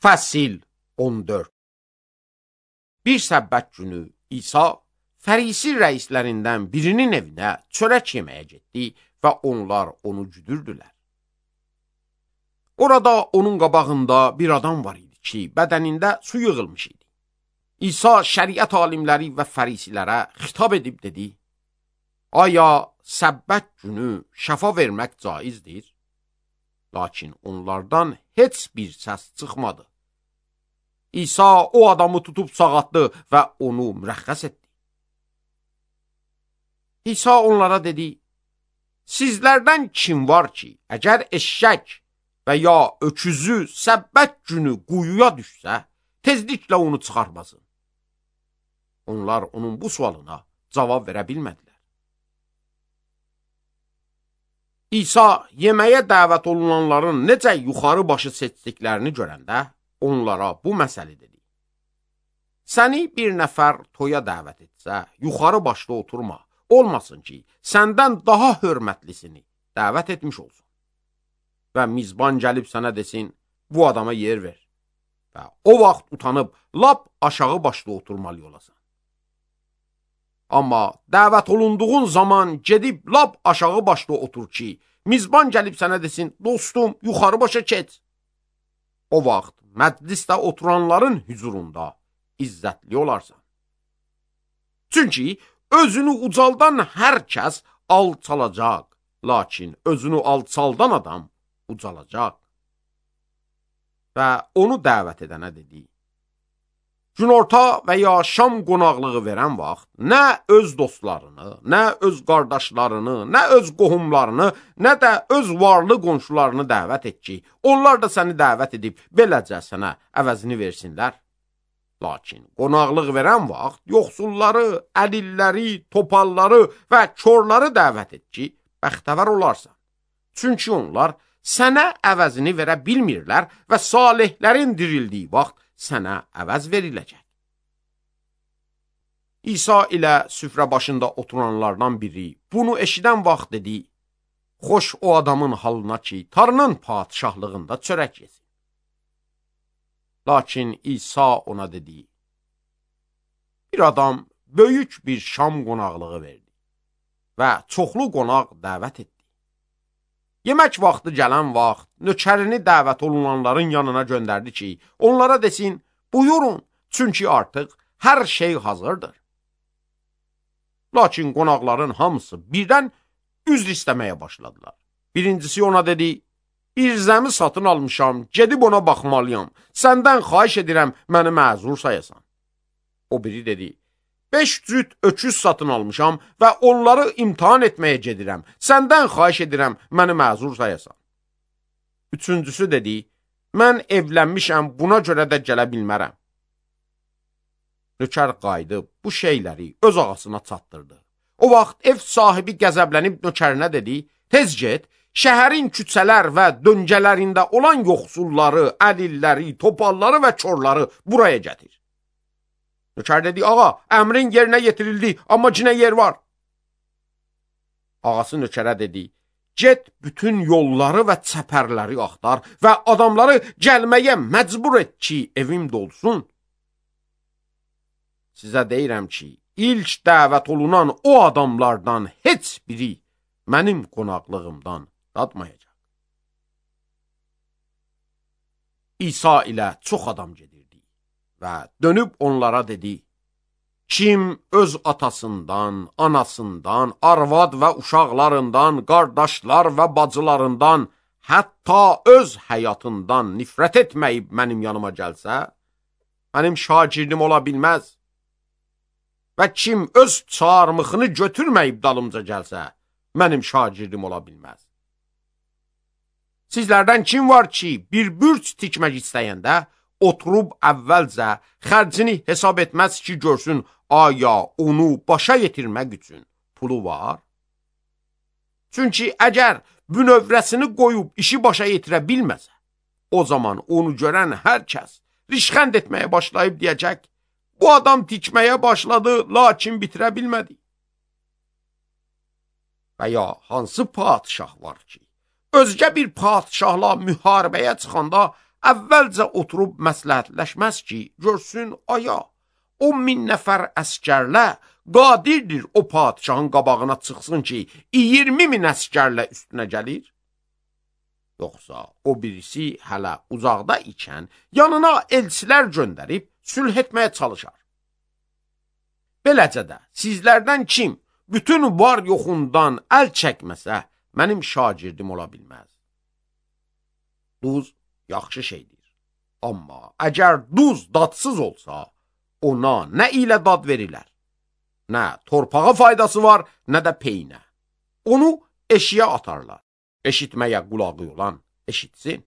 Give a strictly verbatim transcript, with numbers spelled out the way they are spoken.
Fəsil on dörd. Bir səbbət günü İsa Fərisi rəislərindən birinin evinə çörək yeməyə getdi və onlar onu güdürdülər. Orada onun qabağında bir adam var idi ki, bədənində su yığılmış idi. İsa şəriət alimləri və fərisilərə xitab edib dedi: Aya səbbət günü şəfa vermək caizdir? Lakin onlardan heç bir səs çıxmadı. İsa o adamı tutub sağatdı və onu mürəxxəs etdi. İsa onlara dedi: Sizlərdən kim var ki, əgər eşşək və ya öküzü səbbət günü quyuya düşsə, tezliklə onu çıxarmasın? Onlar onun bu sualına cavab verə bilmədilər. İsa yeməyə dəvət olunanların necə yuxarı başı seçdiklərini görəndə onlara bu məsələ dedi: Səni bir nəfər toya dəvət etsə, yuxarı başda oturma, olmasın ki, səndən daha hörmətlisini dəvət etmiş olsun. Və mizban gəlib sənə desin, bu adama yer ver. Və o vaxt utanıb, lap aşağı başda oturmalı olasan. Amma dəvət olunduğun zaman gedib lap aşağı başda otur ki, mizban gəlib sənə desin, dostum, yuxarı başa keç. O vaxt məclisdə oturanların hüzurunda izzətli olarsan. Çünki özünü ucaldan hər kəs alçalacaq, lakin özünü alçaldan adam ucalacaq. Və onu dəvət edənə dedi: Günorta və ya şam qonaqlığı verən vaxt nə öz dostlarını, nə öz qardaşlarını, nə öz qohumlarını, nə də öz varlı qonşularını dəvət et ki, onlar da səni dəvət edib beləcə sənə əvəzini versinlər. Lakin qonaqlıq verən vaxt yoxsulları, əlilləri, topalları və körləri dəvət et ki, bəxtəvər olarsan. Çünki onlar sənə əvəzini verə bilmirlər və salihlərin dirildiyi vaxt sənə əvəz veriləcək. İsa ilə süfrə başında oturanlardan biri bunu eşidən vaxt dedi: Xoş o adamın halına ki, Tanrının padişahlığında çörək yesin. Lakin İsa ona dedi: Bir adam böyük bir şam qonaqlığı verdi və çoxlu qonaq dəvət etdi. Yemək vaxtı gələn vaxt nökərini dəvət olunanların yanına göndərdi ki, onlara desin, buyurun, çünki artıq hər şey hazırdır. Lakin qonaqların hamısı birdən üzr istəməyə başladılar. Birincisi ona dedi: İrzəmi satın almışam, gedib ona baxmalıyam, səndən xahiş edirəm, məni məzur sayasan. O biri dedi: Beş cüt öküz satın almışam və onları imtihan etməyə gedirəm, səndən xahiş edirəm, məni məzur sayasan. Üçüncüsü dedi: Mən evlənmişəm, buna görə də gələ bilmərəm. Nökər qayıdıb bu şeyləri öz ağasına çatdırdı. O vaxt ev sahibi qəzəblənib nökərinə dedi: Tez get, şəhərin küçələr və döngələrində olan yoxsulları, əlilləri, topalları və körləri buraya gətir. Nökər dedi: Ağa, əmrin yerinə yetirildi, amma cinə yer var. Ağası nökərə dedi: Get bütün yolları və çəpərləri axtar və adamları gəlməyə məcbur et ki, evim dolsun. Sizə deyirəm ki, ilk dəvət olunan o adamlardan heç biri mənim qonaqlığımdan dadmayacaq. İsa ilə çox adam gedirdi və dönüb onlara dedi: Kim öz atasından, anasından, arvad və uşaqlarından, qardaşlar və bacılarından, hətta öz həyatından nifrət etməyib mənim yanıma gəlsə, mənim şagirdim ola bilməz. Və kim öz çarmıxını götürməyib dalımca gəlsə, mənim şagirdim ola bilməz. Sizlərdən kim var ki, bir bürc tikmək istəyəndə, oturub əvvəlcə xərcini hesab etməz ki, görsün, aya onu başa yetirmək üçün pulu var? Çünki əgər bünövrəsini qoyub işi başa yetirə bilməsə, o zaman onu görən hər kəs rişxənd etməyə başlayıb deyəcək: Bu adam tikməyə başladı, lakin bitirə bilmədi. Və ya hansı padişah var ki, özgə bir padişahla müharibəyə çıxanda əvvəlcə oturub məsləhətləşməz ki, görsün aya, o min nəfər əskərlə qadirdir o padişahın qabağına çıxsın ki, iyirmi min əskərlə üstünə gəlir? Yoxsa o birisi hələ uzaqda ikən yanına elçilər göndərib sülh etməyə çalışar. Beləcə də sizlərdən kim bütün var yoxundan əl çəkməsə, mənim şagirdim ola bilməz. Duz yaxşı şeydir. Amma əgər duz dadsız olsa, ona nə ilə dad verilər? Nə torpağa faydası var, nə də peynə. Onu eşiyə atarlar. Eşitməyə qulağı olan eşitsin.